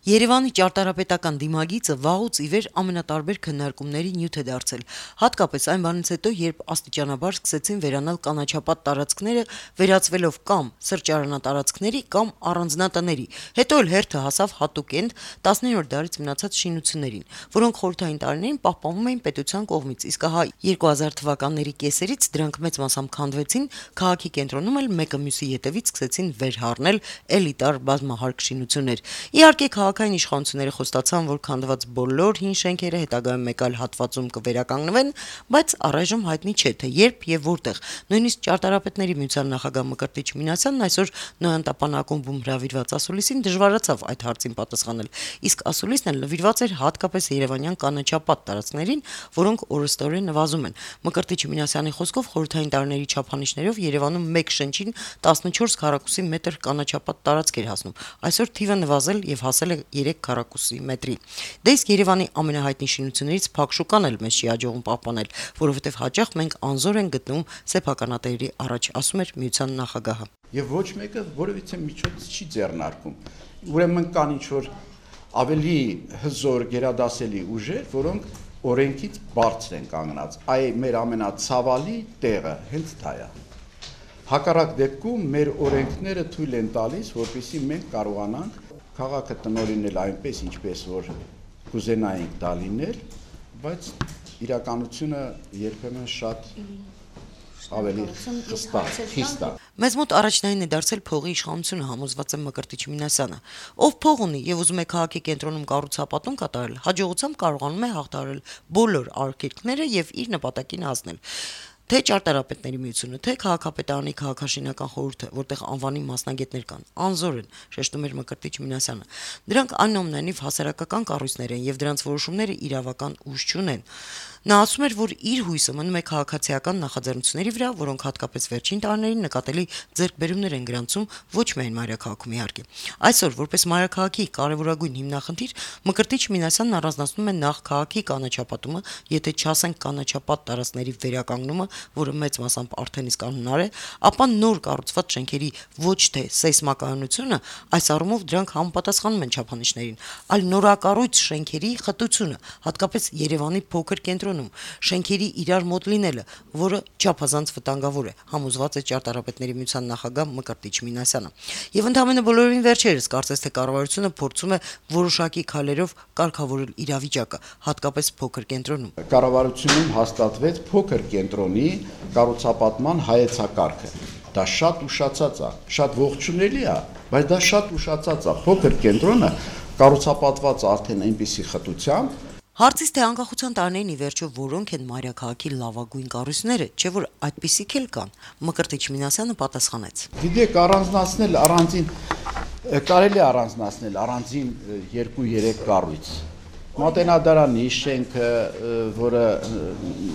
Երևանի ճարտարապետական դիմագիծը վաղուց ի վեր ամենատարբեր քննարկումների նյութ է դարձել, հատկապես այն բանից հետո, երբ աստիճանաբար սկսեցին վերանալ կանաչապատ տարածքները, վերածվելով կամ սրճարանատարածքների, կամ առանձնատների, հետո էլ հերթը հասավ հատուկենտ 19-րդ դարից մնացած շինություններին, որոնք խորհրդային տարիներին պահպանվում էին պետության կողմից, իսկ ահա 2000 թվականների կեսերից դրանք մեծ մասամբ քանդվեցին, քաղաքի կենտրոնում էլ մեկը մյուսի ետևից սկսեցին վերհառնել էլիտար բազմահարկ շինություններ։ Իհարկե քաղաքային իշխանությունները խոստացան, որ քանդված բոլոր հին շենքերը հետագայում մեկ այլ հատվածում կվերականգնվեն, բայց առայժմ հայտնի չէ, թե երբ եւ որտեղ։ Նույնիսկ ճարտարապետների միության նախագահ Մկրտիչ Մինասյանն այսօր Նոյան տապան ակումբում հրավիրված ասուլիսին դժվարացավ այդ հարցին պատասխանել, իսկ ասուլիսն էլ նվիրված էր հատկապես երևանյան կանաչապատ տարածքներին, որոնք օրըստօրեն նվազում են։ Մկրտիչ Մինասյանի խոսքով խորհրդային տարիների չափանիշներով Երևանում մեկ շնչին 14 քառակուսի մետր կանաչապատ տարածք էր հասնում։ Այսօր թիվը նվազել եւ հասել է 3 քառակուսի մետրի։ Դե իսկ Երևանի ամենահայտնի շինություններից Փակ շուկան էլ մեզ չի հաջողում պահպանել, որովհետեւ հաճախ մենք անզոր ենք գտնում սեփականատերերի առաջ, ասում էր միության նախագահը։ Եվ ոչ մեկը որևիցե միջոց չի ձեռնարկում։ Ուրեմն կան ինչ-որ ավելի հզոր գերադասելի ուժեր, որոնք օրենքից բարձր են կանգնած։ Այ մեր ամենացավալի տեղը հենց դա է։ Հակառակ դեպքում մեր օրենքները թույլ են տալիս, որպեսզի մենք կարողանանք քաղաքը տնօրինել այնպես, ինչպես որ կուզենայինք դա լինել, բայց իրականությունը երբեմն շատ ավելի խիստ է։ Մեզ մոտ առաջնային է դարձել փողի իշխանությունը, համոզված է Մկրտիչ Մինասյանը։ Ով փող ունի եւ ուզում է քաղաքի կենտրոնում կառուցապատում կատարել, հաջողությամբ կարողանում է հաղթահարել բոլոր արգելքները եւ իր նպատակին հասնել։ Թե ճարտարապետների միությունը, թե քաղաքապետարանի քաղաքաշինական խորհուրդը, որտեղ անվանի մասնագետներ կան, անզոր են, շեշտում էր Մկրտիչ Մինասյանը։ Դրանք այնուամենայնիվ հասարակական կառույցներ են եւ դրանց որոշումները իրավական ուժ չունեն։ Նա ասում էր, որ իր հույսը մնում է քաղաքացիական նախաձեռնությունների վրա, որոնք հատկապես վերջին տարիներին նկատելի ձեռքբերումներ են գրանցում ոչ միայն մայրաքաղաքում իհարկե։ Այսօր, որպես մայրաքաղաքի կարևորագույն հիմնախնդիր, Մկրտիչ Մինասյանն առանձնացնում է նախ քաղաքի կանաչապատումը, եթե չասենք կանաչապատ տարածքների վերականգնումը, որը մեծ մասամբ արդեն իսկ անհնար է, ապա նոր կառուցված շենքերի ոչ թե սեյսմակայունությունը, այս առումով դրանք համապատասխանում են չափանիշներին, այլ նորակառույց շենքերի խտությունը, հատկապես Երևանի փոքր կենտրոնում, շենքերի իրար մոտ լինելը, որը չափազանց վտանգավոր է, համոզված է ճարտարապետների միության նախագահ Մկրտիչ Մինասյանը։ Եվ ընդհանրապես բոլորովին վերջերս կարծես թե կառավարությունը փորձում է որոշակի քայլերով կարգավորել իրավիճակը, հատկապես փոքր կենտրոնում։ Կառավարությունում հաստատվեց փոքր կենտրոնի կառուցապատման հայեցակարգը։ Դա շատ ուշացած է, շատ ողջունելի է, բայց դա շատ ուշացած է։ Փոքր կենտրոնը կառուցապատված արդեն այնպիսի խտությամբ։ Հարցից թե անկախության տարիներին ի վերջո որոնք են մայրաքաղաքի լավագույն կառույցները, չէ որ այդպիսիք էլ կան, Մկրտիչ Մինասյանը պատասխանեց։ Գիտեք, առանձնացնել առանձին կարելի առանձնացնել առանձին 2-3 կառույց։ Մատենադարանի շենքը, որը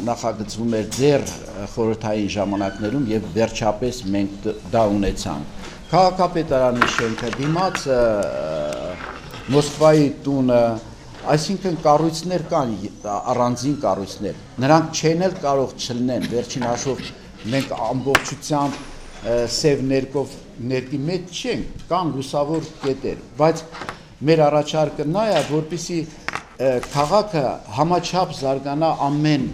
նախագծվում էր դեռ խորհրդային ժամանակներում եւ վերջապես մենք դա ունեցանք։ Քաղաքապետարանի շենքը, դիմաց Մոսկվայի տունը, այսինքն կառույցներ կան, առանձին կառույցներ։ Նրանք չեն էլ կարող չլինեն, վերջին հաշվով մենք ամբողջությամբ սև ներկի մեջ չենք, կան լուսավոր կետեր, բայց մեր առաջարկը նա է, որպեսզի քաղաքը համաչափ զարգանա ամեն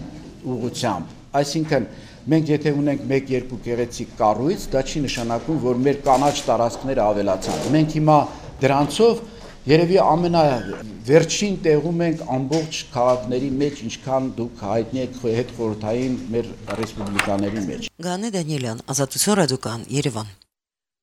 ուղղությամբ, այսինքն մենք եթե ունենք 1-2 գեղեցիկ կառույց, դա չի նշանակում, որ մեր կանաչ տարածքները ավելացան։ Մենք հիմա դրանցով երևի ամենավերջին տեղում ենք ամբողջ քաղաքների մեջ, ինչքան դուք հայտնի եք հետխորհրդային մեր ռեսպուբլիկաների մեջ։ Գանե Դանիելյան, Ազատություն ռադիոկայան, Երևան։